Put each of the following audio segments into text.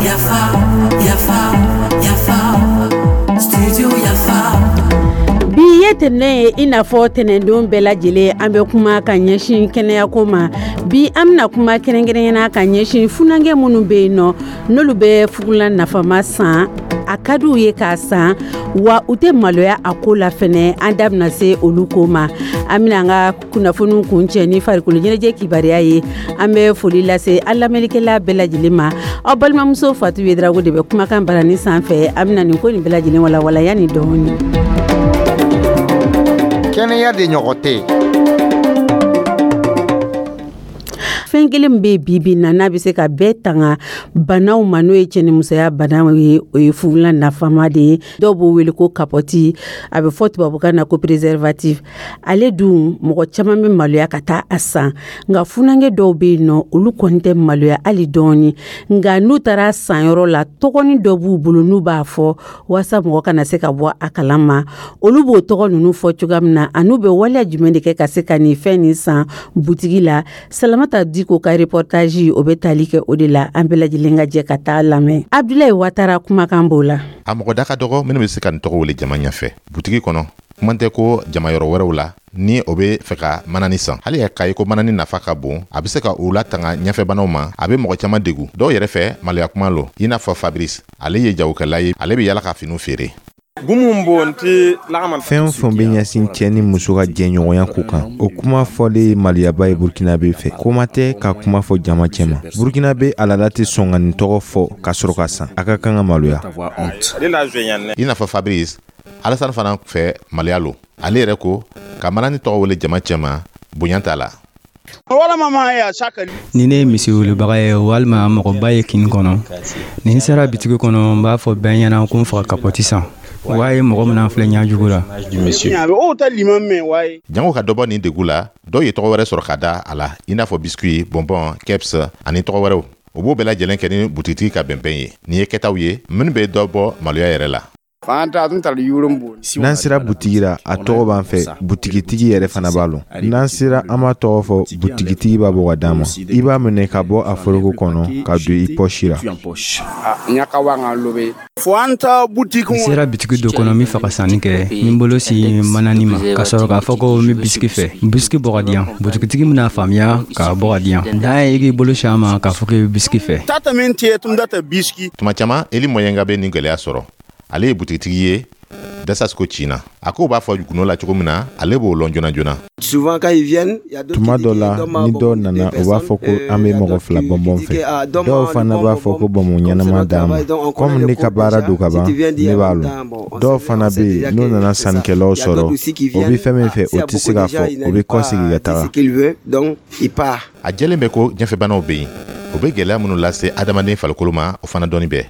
Yafa, yafa, yafa, studio Yafa. Bi ye tɛnɛn ye, i n'a fɔ tɛnɛndon bɛɛ lajɛlen, an bɛ kuma ka ɲɛsin kɛnɛyako ma. Bi, an bɛna kuma kɛrɛnkɛrɛnyana ka ɲɛsin funankɛ minnu bɛ yen nɔ, n'olu bɛ fugulan nafama san, a ka d'u ye k'a san, wa u tɛ maloya a ko la fɛnɛ. An da bɛna se olu ko ma. An bɛna an ka kunnafoniw kuncɛ ni farikolo ɲɛnajɛ kibaruya ye. An bɛ foli lase an lamɛnnikɛla bɛɛ lajɛlen ma. Aw balimamuso Fatu Yedrago de bɛ kumakan barani sanfɛ. An bɛna nin ko nin bɛɛ lajɛlen walawala yanni dɔɔni. Kɛnɛya de ɲɔgɔn tɛ yen. Fɛn kelen min bɛ bi bi na, n'a bɛ se ka bɛɛ tanga banaw ma, n'o ye cɛnimusoya banaw ye, o ye fugulan nafama de ye. Dɔw b'o wele ko kapɔti, a bɛ fɔ tubabukan na ko préservatif. Ale dun, mɔgɔ caman bɛ maloya ka taa a san, nka funankɛ dɔw bɛ yen nɔ, olu kɔni tɛ maloya hali dɔɔni. Nka n'u taara sanyɔrɔ la, tɔgɔnin dɔ b'u bolo n'u b'a fɔ walasa mɔgɔ kana se ka bɔ a kalama. Olu b'o tɔgɔ ninnu fɔ cogoya min na, an'u bɛ waleya jumɛn de kɛ ka se ka nin fɛn nin san butigi la, Salamata Diko ka reportage, o bɛ tali kɛ o de la. An bɛɛ lajɛlen ka jɛ ka taa lamɛn. Abdulayi Watara kumakan b'o la. A mɔgɔ da ka dɔgɔ minnu bɛ se ka nin tɔgɔ wele jama ɲɛfɛ butigi kɔnɔ, kuma tɛ ko jama yɔrɔ wɛrɛw la, ni o bɛ fɛ ka manani san. Hali k'a ye ko manani nafa ka bon, a bɛ se ka u latanga ɲɛfɛbanaw ma, a bɛ mɔgɔ caman degu. Dɔw yɛrɛ fɛ, maloya kuma lo, i n'a fɔ Fabrice. Ale ye jagokɛla ye, ale bɛ yala ka finiw feere. Fɛn o fɛn bɛ ɲɛsin cɛ ni muso ka jɛɲɔgɔnya ko kan, o kuma fɔlen ye maloyaba ye Burkinabe fɛ. Kuma tɛ ka kuma fɔ jama cɛma. Burkinabe a laada tɛ sɔn ka nin tɔgɔ fɔ ka sɔrɔ ka san. A ka kan ka maloya. I n'a fɔ Fabrice, Alassane fana fɛ, maloya lo. Ale yɛrɛ ko ka manani tɔgɔ wele jama cɛma, bonya t'a la. Ni ne ye misi wulubaga ye walima mɔgɔba ye kin kɔnɔ, ni n sera bitigi kɔnɔ, n b'a fɔ bɛɛ ɲɛna ko n faga kapɔti san. Wa ye mɔgɔ min filɛ ɲɛ jugu la. Jango ka dɔ bɔ nin degu la, dɔw ye tɔgɔ wɛrɛ sɔrɔ ka da a la, i n'a fɔ biscuit, bonbon, keps ani tɔgɔ wɛrɛw. U b'o bɛɛ lajɛlen kɛ ni butigitigi ka bɛnbɛn ye. Nin ye kɛtaw ye minnu bɛ dɔ bɔ maloya yɛrɛ la. N'an sera butigi la, a tɔgɔ b'an fɛ, butigitigi yɛrɛ fana b'a lɔn. N'an sera, an b'a tɔgɔ fɔ, butigitigi b'a bɔ ka d'an ma. I b'a minɛ ka bɔ a foroko kɔnɔ ka don i pɔsi la. N sera bitigi dɔ kɔnɔ, n bɛ fɛ ka sanni kɛ, n bolo sin manani ma ka sɔrɔ k'a fɔ ko n bɛ bisiki fɛ, bisiki bɔ ka di yan. Butigitigi bɛna faamuya k'a bɔ ka di yan. Dan ye i k'i bolo sin a ma k'a fɔ k'i bɛ bisiki fɛ. Tuma caman, Eli Mɔyenga bɛ nin gɛlɛya sɔrɔ. Ale ye butigitigi ye Dasasiko Cina. A ko b'a fɔ gundo la cogo min na, ale b'o lɔn joona joona. Tuma dɔ la, ni dɔw nana, u b'a fɔ ko an bɛ mɔgɔ fila bɔnbɔn fɛ. Dɔw fana b'a fɔ ko bɔnbɔn ɲɛnama d'an ma. Komi ne ka baara don ka ban, ne b'a lɔn. Dɔw fana bɛ yen, n'u nana sannikɛlaw sɔrɔ, o bɛ fɛn min fɛ, o tɛ se k'a fɔ, o bɛ kɔsegin ka taga. A jɛlen bɛ ko ɲɛfɛbanaw bɛ yen, o bɛ gɛlɛya minnu lase adamaden farikolo ma, o fana dɔɔni bɛ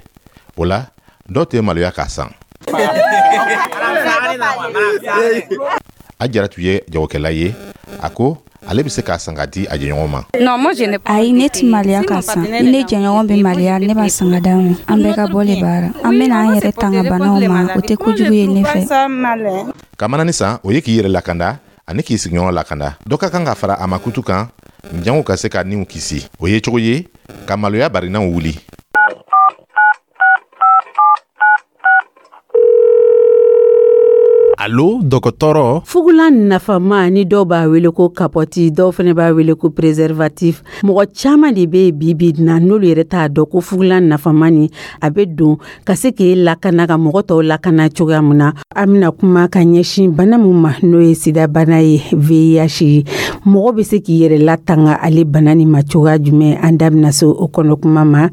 o la. Dɔw tɛ maloya k'a san. A Jaratu ye jagokɛla ye. A ko ale bɛ se k'a san ka di a jɛɲɔgɔn ma. Ayi, ne tɛ maloya k'a san. Ni ne jɛɲɔgɔn bɛ maloya, ne b'a san ka d'a ma. An bɛɛ ka bɔ le baara. An bɛna an yɛrɛ tanga banaw ma, o tɛ kojugu ye ne fɛ. Ka manani san, o ye k'i yɛrɛ lakanda ani k'i sigiɲɔgɔn lakanda. Dɔ ka kan ka fara a makutu kan jango ka se ka niw kisi. O ye cogo ye ka maloya barinaw wuli. Allo dɔgɔtɔrɔ. Fugulan nafama ni dɔw b'a wele ko kapɔti, dɔw fana b'a wele ko préservatif. Mɔgɔ caman de bɛ bi bi na, n'olu yɛrɛ t'a dɔn ko fugulan nafama ni a bɛ don ka se k'e lakana, ka mɔgɔ tɔw lakana cogoya min na. An bɛna kuma ka ɲɛsin bana min ma, n'o ye sidabana ye, VIH. Mɔgɔ bɛ se k'i yɛrɛ latanga ale bana nin ma cogoya jumɛn? An da bɛna se o kɔnɔ kuma ma.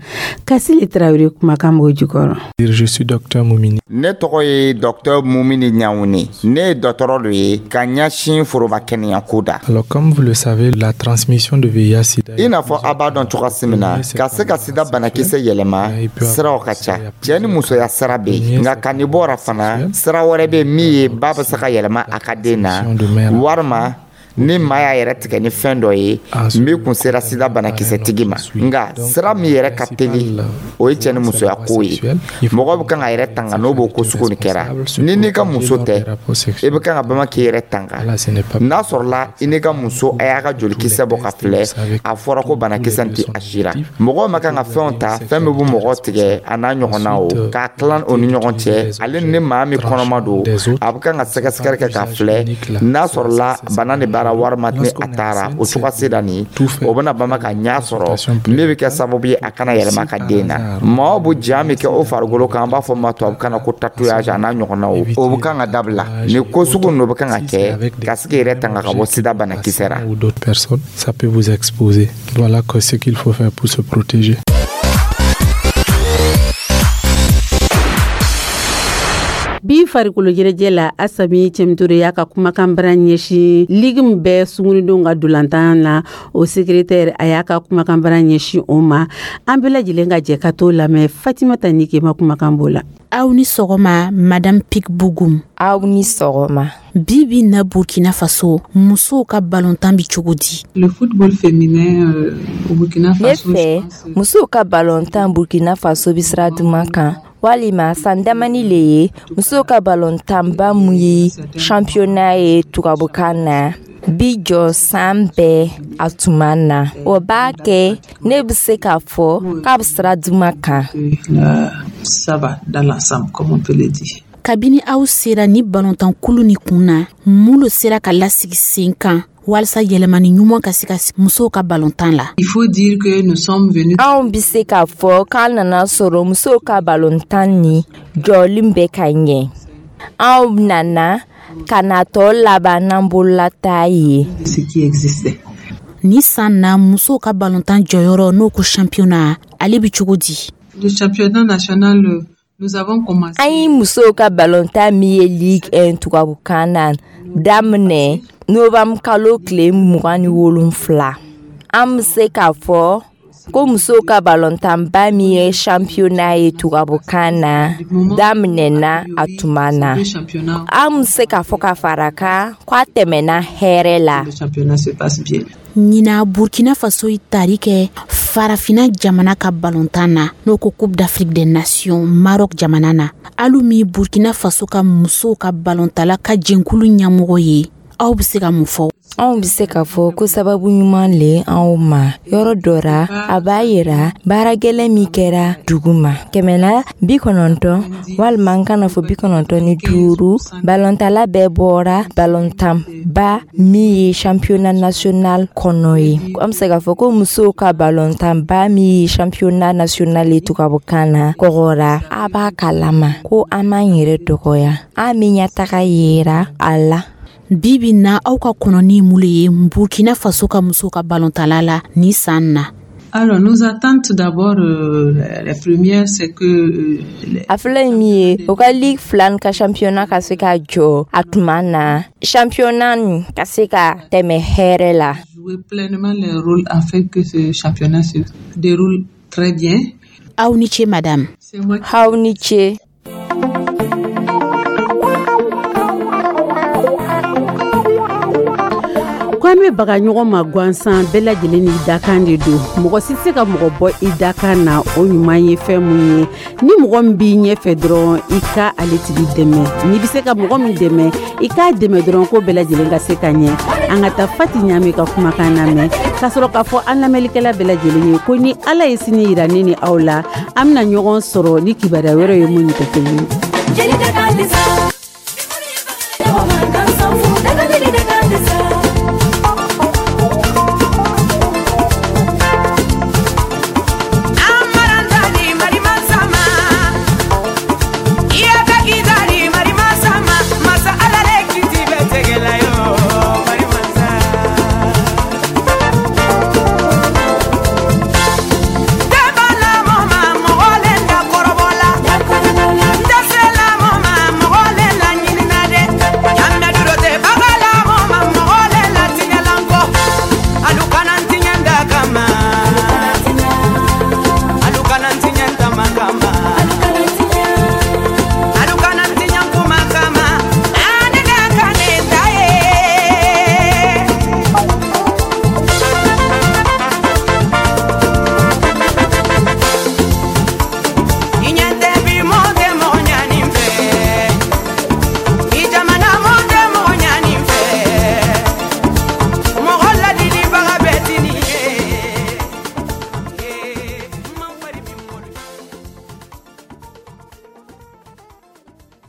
Kasile Tarawele kumakan b'o jukɔrɔ. Je suis docteur Mumini. Ne tɔgɔ ye docteur Mumini Ɲawune. Ne ye dɔgɔtɔrɔ de ye ka ɲɛsin foroba kɛnɛya ko da. Alors, comme vous le savez, la transmission de VIH sida. I n'a fɔ a b'a dɔn cogoya min na, ka se ka sida banakisɛ yɛlɛma, siraw ka ca. Cɛ ni musoya sira bɛ yen, nka ka nin bɔra fana, sira wɛrɛ bɛ min ye ba bɛ se ka yɛlɛma a ka den na, walima Ni maa y'a yɛrɛ tigɛ ni fɛn dɔ ye min kun sera sida banakisɛtigi ma. Nka sira min yɛrɛ ka teli, o ye cɛ ni musoya ko ye. Mɔgɔ bɛ kan ka yɛrɛ tanga n'o b'o ko sugu nin kɛra. Ni n'i ka muso tɛ, i bɛ kan ka bama k'i yɛrɛ tanga. N'a sɔrɔla i n'i ka muso a y'a ka jolikisɛ bɔ ka filɛ, a fɔra ko banakisɛ tɛ a si la. Mɔgɔw ma kan ka fɛnw ta, fɛn min bɛ mɔgɔ tigɛ a n'a ɲɔgɔnna, o k'a tilan o ni ɲɔgɔn cɛ. Ale ni maa min kɔnɔma don, a bɛ kan ka sɛgɛsɛgɛli kɛ k'a filɛ n'a sɔrɔla bana de b'a la walima ni a taara o cogoya sera nin, o bɛna bama ka ɲɛ sɔrɔ min bɛ kɛ sababu ye a kana yɛlɛma ka den na. Maaw bɛ ja min kɛ o farikolo kan, an b'a fɔ ma tubabukan na ko tatouage a n'a ɲɔgɔnnaw, o bɛ kan ka dabila. Nin ko sugu ninnu bɛ kan ka kɛ ka se k'i yɛrɛ tanga ka bɔ sida banakisɛ la. Ou d'autres personnes, ça peut vous exposer. Voilà ce qu'il faut faire pour se protéger. Bi farikolo ɲɛnajɛ la, Asami Cɛmutore y'a ka kumakan bara ɲɛsin ligue min bɛ sungurundenw ka dolantan na, o secrétaire, a y'a ka kumakan bara ɲɛsin o ma. An bɛɛ lajɛlen ka jɛ ka t'o lamɛn. Fatimata Nikema kumakan b'o la. Aw ni sɔgɔma, Madame Pik Bugum. Aw ni sɔgɔma. Bi bi na, Burkina Faso musow ka balontan bi cogo di? Le football féminin au Burkina Faso. Ne fɛ, musow ka balontan Burkina Faso bi sira duman kan, walima san damani le ye. Musow ka balontanba mun ye championnat ye tubabukan na, bi jɔ san bɛɛ a tuma na. O b'a kɛ ne bɛ se k'a fɔ k'a bɛ sira duman kan. Ça va dans l'ensemble, comme on peut le dire. Kabini aw sera ni balontankulu ni kun na, mun lo sera ka lasigi sen kan walasa yɛlɛmani ɲuman ka se ka musow ka balontan la? Il faut dire que nous sommes venus. Anw bɛ se k'a fɔ k'an nana sɔrɔ musow ka balontan ni jɔlen bɛ ka ɲɛ. Anw nana ka na tɔ laban n'an bololata ye. Ce qui existait. Ni san na, musow ka balontan jɔyɔrɔ, n'o ko championnat, ale bi cogo di? Le championnat national, nous avons commencé. An ye musow ka balontan min ye Ligue 1 tubabukan na daminɛ novembre kalo tile 27. An bɛ se k'a fɔ ko musow ka balontanba min ye championnat ye tubabukan na daminɛna a tuma na. An bɛ se k'a fɔ ka fara kan k'a tɛmɛna hɛrɛ la. Le championnat se passe bien. Ɲina, Burkina Faso ye tari kɛ Farafina jamana ka balontan na, n'o ko Coupe d'Afrique des Nations, Maroc jamana na. Alu min Burkina Faso ka musow ka balontala ka jɛnkulu ɲɛmɔgɔ ye, aw bɛ se ka mun fɔ? Anw bɛ se k'a fɔ ko sababu ɲuman le anw ma. Yɔrɔ dɔ ra, a b'a yira baara gɛlɛn min kɛra dugu ma. 190, walima n kana fɔ 95, balontala bɛɛ bɔra balontanba min ye championnat national kɔnɔ ye. An bɛ se k'a fɔ ko musow ka balontanba min ye championnat national ye tubabukan na kɔgɔra. A b'a kalama ko an m'an yɛrɛ dɔgɔya, an bɛ ɲɛtaga yira a la. Bi bi na, aw ka kɔnɔni mun le ye Burkina Faso ka musow ka balontala la ni san na? Alors, nos attentes d'abord, la première, c'est que A filɛ min ye, o ka ligue fila ka championnat ka se ka jɔ a tuma na, championnat nin ka se ka tɛmɛ hɛrɛ la. Jouer pleinement les rôles afin que ce championnat se déroule très bien. Aw ni ce, madame. C'est moi. Aw ni ce. Ko an bɛ baga ɲɔgɔn ma gansan, bɛɛ lajɛlen n'i dakan de don. Mɔgɔ si tɛ se ka mɔgɔ bɔ i dakan na. O ɲuman ye fɛn mun ye, ni mɔgɔ min b'i ɲɛfɛ dɔrɔn, i ka ale tigi dɛmɛ. N'i bɛ se ka mɔgɔ min dɛmɛ, i k'a dɛmɛ dɔrɔn, ko bɛɛ lajɛlen ka se ka ɲɛ. An ka taa Fati Ɲame ka kumakan lamɛn, ka sɔrɔ k'a fɔ an lamɛnlikɛla bɛɛ lajɛlen ye ko ni Ala ye sini yira ne ni aw la, an bɛna ɲɔgɔn sɔrɔ ni kibaruya wɛrɛ ye mun tɛ kelen ye.